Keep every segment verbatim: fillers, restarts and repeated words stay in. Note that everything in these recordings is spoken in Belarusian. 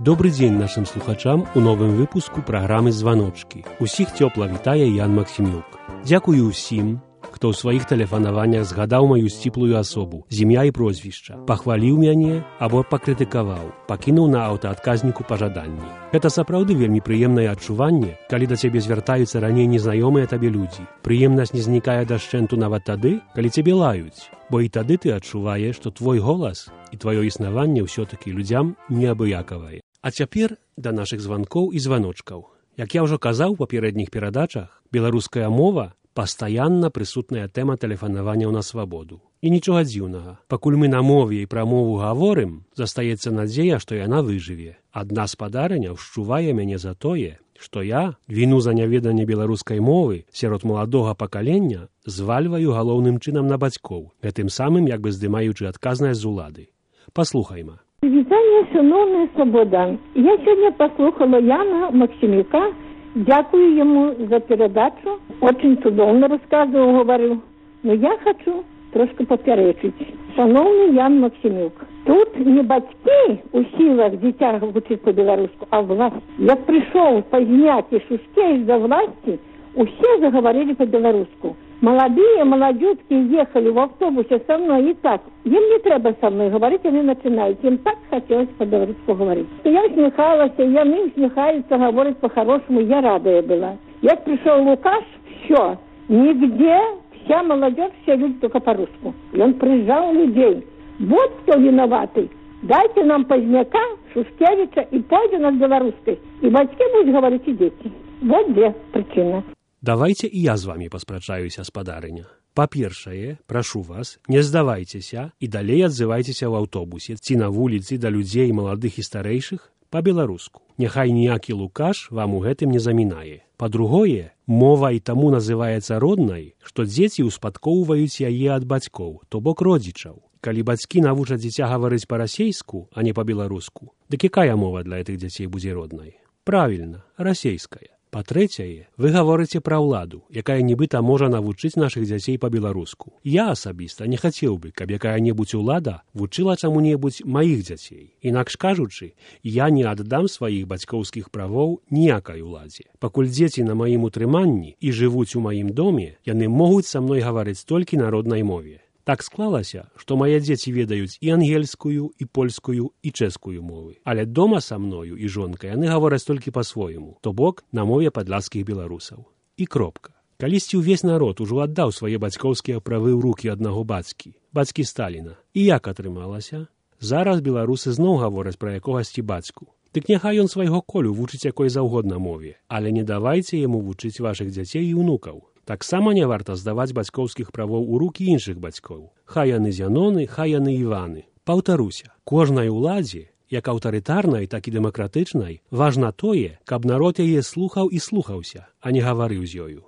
Добрый дзень нашым слухачам у новым выпуску праграмы «Званочкі». Усіх цёпла вітае Ян Максімюк. Дзякую ўсім, хто ў сваіх тэлефанаваннях згадаў маю сціплую асобу, з імя і прозвішча, пахваліў мяне або пакрытыкаваў, пакінуў на аўтаадказніку пажаданні. Гэта сапраўды вельмі прыемнае адчуванне, калі да цябе звяртаюцца раней незнаёмыя табе людзі. Прыемнасць не знікае дашчэнту нават тады, калі цябе лаюць, бо і тады ты адчуваеш, што твой голас і тваё існаванне ўсё-такі людзям неабыякавае. А цяпер да нашых званкоў і званочкаў. Як я ўжо казаў у папярэдніх перадачах, беларуская мова пастаянна прысутная тэма тэлефанавання на свабоду. І нічога дзіўнага. Пакуль мы на мове і пра мову гаворым, застаецца надзея, што яна выжыве. Адна спадарыня ўшчувае мяне за тое, што я віну за няведанне беларускай мовы сярод маладога пакалення звальваю галоўным чынам на бацькоў, гэтым самым як бы здымаючы адказнасць з улады. Паслухайма. Вітання, шановний Слободан. Я сьогодні послухала Яна Максимюка. Дякую ему за передачу. Очень чудовно рассказывал, говорил. Но я хочу трошки поперечить. Шановний Ян Максимюк, тут не батьки у силах дитя вчить по-белорусски, а власть. Як пришел позднять и шустей за власти, все заговорили по-белорусски. Молодые молодежки ехали в автобусе со мной и так. Им не треба со мной говорить, они начинают. Им так хотелось по-белорусски говорить. Я усмехалась, и они усмехаются, говорят по-хорошему. Я радая была. Як пришел Лукаш, все. Нигде вся молодежь, все люди только по-русски. И он прижал людей. Вот кто виноватый. Дайте нам Поздняка, Шушкевича и пойдем над белорусской. И батьки будут говорить, и дети. Вот две причины. Давайте і я з вами паспрачаюся, спадарыня. Па-першае, прашу вас, не здавайцеся і далей адзывайцеся ў аўтобусе ці на вуліцы да людзей маладых і старэйшых па-беларуску. Няхай ніякі Лукаш вам у гэтым не замінае. Па-другое, мова і таму называецца роднай, што дзеці ўспадкоўваюць яе ад бацькоў, то бок родзічаў. Калі бацькі навучаць дзіця гаварыць па-расейску, а не па-беларуску, дык якая мова для гэтых дзяцей будзе роднай? Правільна, расейская. Па-трэцяе, вы гаворыце пра ўладу, якая нібыта можа навучыць нашых дзяцей па-беларуску. Я асабіста не хацеў бы, каб якая-небудзь улада вучыла чаму-небудзь маіх дзяцей. Інакш кажучы, я не аддам сваіх бацькоўскіх правоў ніякай уладзе. Пакуль дзеці на маім утрыманні і жывуць у маім доме, яны могуць са мной гаварыць толькі на роднай мове. Так склалася, што мае дзеці ведаюць і ангельскую, і польскую, і чэшскую мовы. Але дома са мною і жонкай яны гавораць толькі па-свойму, то бок на мове падляшскіх беларусаў. І кропка. Калісьці ўвесь народ ужо аддаў свае бацькоўскія правы ў рукі аднаго бацькі, бацькі Сталіна. І як атрымалася? Зараз беларусы зноў гавораць пра якогасьці бацьку. Дык няхай ён свайго колю вучыць якой заўгодна мове, але не давайце яму вучыць вашых дзяцей і ўнукаў. Таксама не варта здаваць бацькоўскіх правоў у рукі іншых бацькоў. Хай яны Зяноны, хай яны Іваны. Паўтаруся, кожнай уладзе, як аўтарытарнай, так і дэмакратычнай, важна тое, каб народ яе слухаў і слухаўся, а не гаварыў з ёю.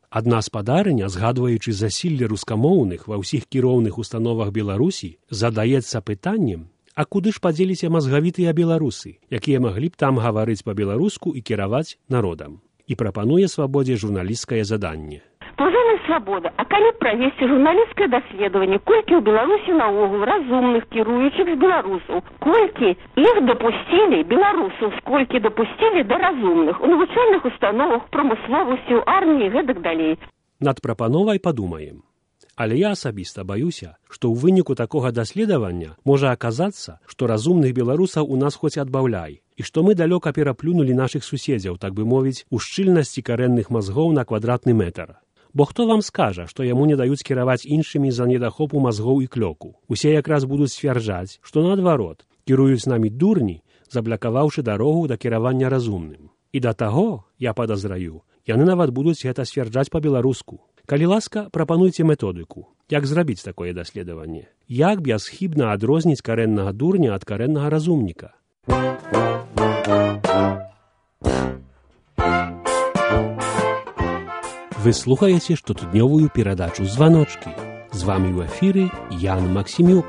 Адна спадарыня, згадваючы засілле рускамоўных ва ўсіх кіроўных установах Беларусі, задаецца пытаннем, а куды ж падзеліся мазгавітыя беларусы, якія маглі б там гаварыць па-беларуску і кіраваць народам. І прапануе свабодзе журналісцкае заданне. Паважаная Свабода, а калі правесці журналісцкае даследаванне, колькі ў Беларусі наогул разумных кіруючых з беларусаў, колькі іх дапусцілі беларусаў, сколькі дапусцілі да разумных у навучальных установах, прамысловасці, у арміі, гэтак далей. Над прапановай падумаем. Але я асабіста баюся, што ў выніку такога даследавання можа аказацца, што разумных беларусаў у нас хоць адбаўляй, і што мы далёка пераплюнулі нашых суседзяў, так бы мовіць, у шчыльнасці карэнных мазгоў на квадратны метр. Бо хто вам скажа, што яму не даюць кіраваць іншымі з-за недахопу мазгоў і клёку? Усе якраз будуць сцвярджаць, што наадварот, кіруюць намі дурні, заблакаваўшы дарогу да кіравання разумным. І да таго, я падазраю, яны нават будуць гэта сцвярджаць па-беларуску. Калі ласка, прапануйце методыку. Як зрабіць такое даследаванне? Як бясхібна адрозніць карэннага дурня ад карэннага разумніка? Вы слухаеце штотыднёвую перадачу «Званочкі». З вамі ў эфіры Ян Максімюк.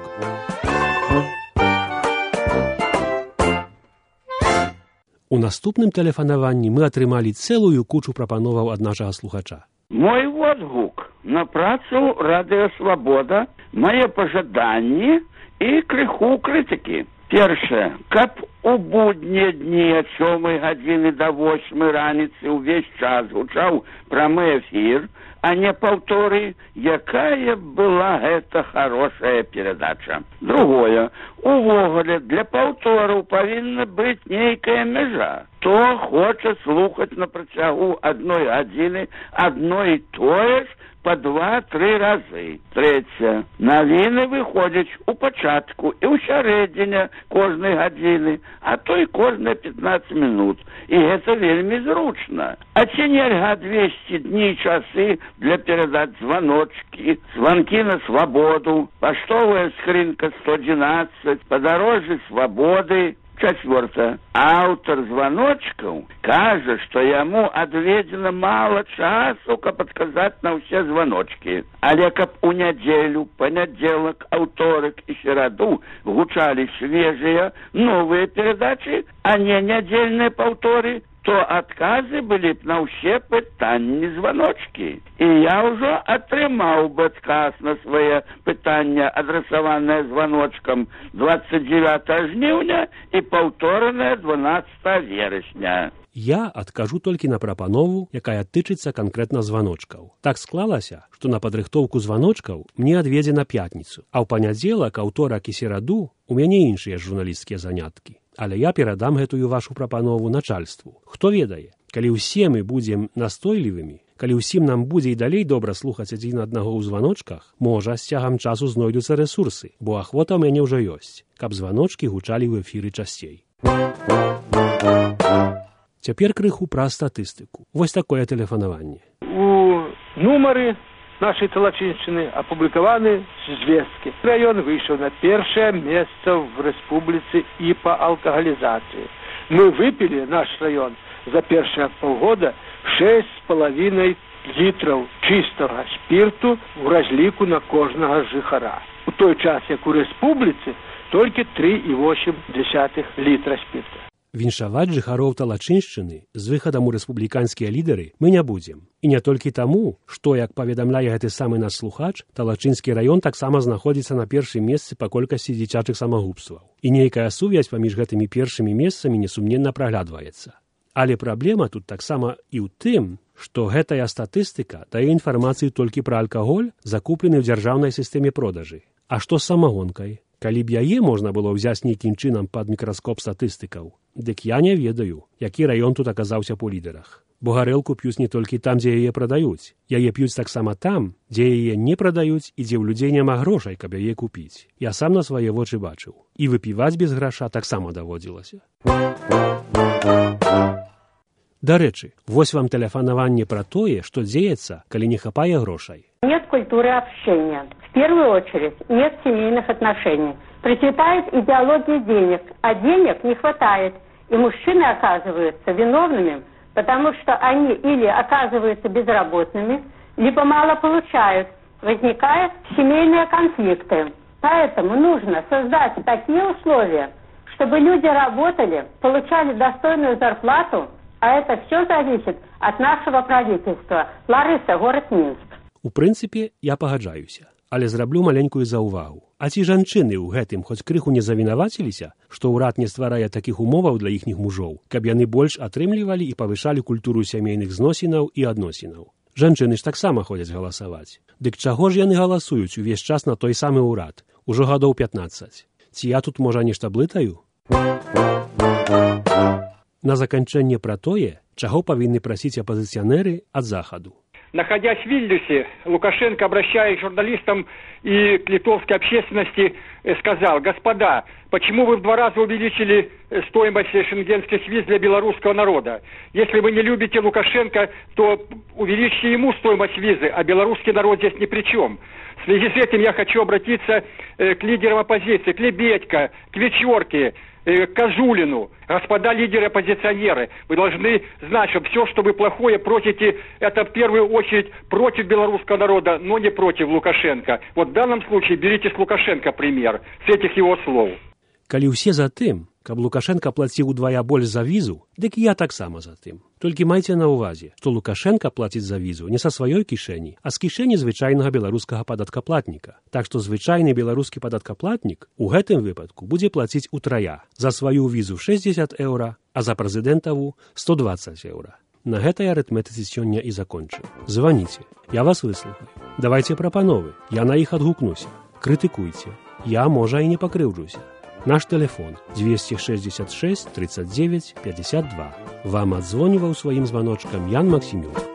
У наступным тэлефанаванні мы атрымалі цэлую кучу прапановаў ад нашага слухача. Мой водгук на працу Радыё Свабода, мае пажаданні і крыху крытыкі. Першае, каб у буднія дні ад сёмай гадзіны да восьмай раніцы ўвесь час гучаў прамы эфір, а не паўторы, якая была гэта хорошая перадача. Другое, увогуле для паўтораў павінна быць нейкая мяжа. Хто хоча слухаць на працягу адной гадзіны адно і тое ж па два-тры разы. Трэцяе, навіны выходзяць у пачатку і ў сярэдзіне кожнай гадзіны, а то і кожныя пятнаццаць минут. І гэта вельмі зручна. А ці нельга двесце дні часы для перадач званочкі, званкі на свабоду, паштовая скрынка сто одиннадцать, падарожжы свабоды. Чацвёртае. Аўтар званочкаў кажа, што яму адведзена мала часу, каб адказаць на ўсе званочкі. Але каб у нядзелю, панядзелак, аўторак і сераду гучалі свежыя, новыя перадачы, а не нядзельныя паўторы, то адказы былі б на ўсе пытанні званочкі. І я ўжо атрымаў бы адказ на свае пытання, адрасаванае званочкам двадцать девятого жніўня і паўторанае дванаццатого верасня. Я адкажу толькі на прапанову, якая тычыцца канкрэтна званочкаў. Так склалася, што на падрыхтоўку званочкаў мне адведзена пятніцу, а ў панядзелак, аўторак і сераду у мяне іншыя журналісцкія заняткі. Але я перадам гэтую вашу прапанову начальству. Хто ведае, калі ўсе мы будзем настойлівымі, калі ўсім нам будзе і далей добра слухаць адзін аднаго ў званочках, можа, з цягам часу знойдуцца рэсурсы, бо ахвота ў мяне ўжо ёсць, каб званочкі гучалі ў эфіры часцей. Цяпер крыху пра статыстыку. Вось такое тэлефанаванне. У нумары нашей Талачинщины опубликованы звестки. Район вышел на первое место в республике и по алкоголизации. Мы выпили, наш район, за первые полгода шесть с половиной литров чистого спирту в разлику на кожного жихара. У той час, як у республиці, тільки три і вісім десятых літра спирта. Віншаваць жыхароў Талачыншчыны з выхадам у рэспубліканскія лідары мы не будзем. І не толькі таму, што, як паведамляе гэты самы наш слухач, Талачынскі раён таксама знаходзіцца на першым месцы па колькасці дзіцячых самагубстваў. І нейкая сувязь паміж гэтымі першымі месцамі несумненна праглядваецца. Але праблема тут таксама і ў тым, што гэтая статыстыка дае інфармацыю толькі пра алкаголь, закуплены ў дзяржаўнай сістэме продажы. А што з самагонкай? Калі б яе можна было ўзяць нейкім чынам пад мікраскоп статыстыкаў, дык я не ведаю, які раён тут аказаўся па лідарах. Бо гарэлку п'юць не толькі там, дзе яе прадаюць. Яе п'юць таксама там, дзе яе не прадаюць і дзе ў людзей няма грошай, каб яе купіць. Я сам на свае вочы бачыў. І выпіваць без граша таксама даводзілася. Дарэчы, вось вам тэлефанаванне пра тое, што дзеецца, калі не хапае грошай. Нет культуры общения. В первую очередь нет семейных отношений. Процветает идеология денег, а денег не хватает. И мужчины оказываются виновными, потому что они или оказываются безработными, либо мало получают. Возникают семейные конфликты. Поэтому нужно создать такие условия, чтобы люди работали, получали достойную зарплату, а это все зависит от нашего правительства. Лариса, город Минск. У прынцыпе, я пагаджаюся, але зраблю маленькую заўвагу. А ці жанчыны ў гэтым хоць крыху не завінаваціліся, што ўрад не стварае такіх умоваў для іхніх мужоў, каб яны больш атрымлівалі і павышалі культуру сямейных зносінаў і адносінаў? Жанчыны ж таксама ходзяць галасаваць. Дык чаго ж яны галасуюць увесь час на той самы ўрад? Ужо гадоў пятнаццаць. Ці я тут, можа, нешта блытаю? На заканчэнне пра тое, чаго павінны прасіць апазіцыянеры ад захаду. Находясь в Вильнюсе, Лукашенко, обращаясь к журналистам и к литовской общественности, сказал: господа, почему вы в два раза увеличили стоимость шенгенских виз для белорусского народа? Если вы не любите Лукашенко, то увеличьте ему стоимость визы, а белорусский народ здесь ни при чем. В связи с этим я хочу обратиться к лидерам оппозиции, к Лебедько, к Вечерке, к Козулину. Господа лидеры-оппозиционеры, вы должны знать, что все, что вы плохое просите, это в первую очередь против белорусского народа, но не против Лукашенко. Вот в данном случае берите с Лукашенко пример, с этих его слов. Калі ўсе за тым, Каб Лукашенко плаціў удвая больш за візу, дык я таксама за тым. Толькі майце на ўвазе, што Лукашенко плаціць за візу не са сваёй кішэні, а з кішэні звычайнага беларускага падаткаплатніка. Так што звычайны беларускі падаткаплатнік у гэтым выпадку будзе плаціць утрая. За сваю візу шэсцьдзесят еўра, а за прэзідэнтаву сто дваццаць еўра. На гэтай арытметыцы сёння і закончыў. Званіце, я вас выслухаю. Давайце прапановы, я на іх адгукнуся. Крытыкуйце, я, можа, і не пакрыўджуся. Наш телефон двести шестьдесят шесть тридцать девять пятьдесят два. Вам адзвоніваў сваім званочкам Ян Максімюк.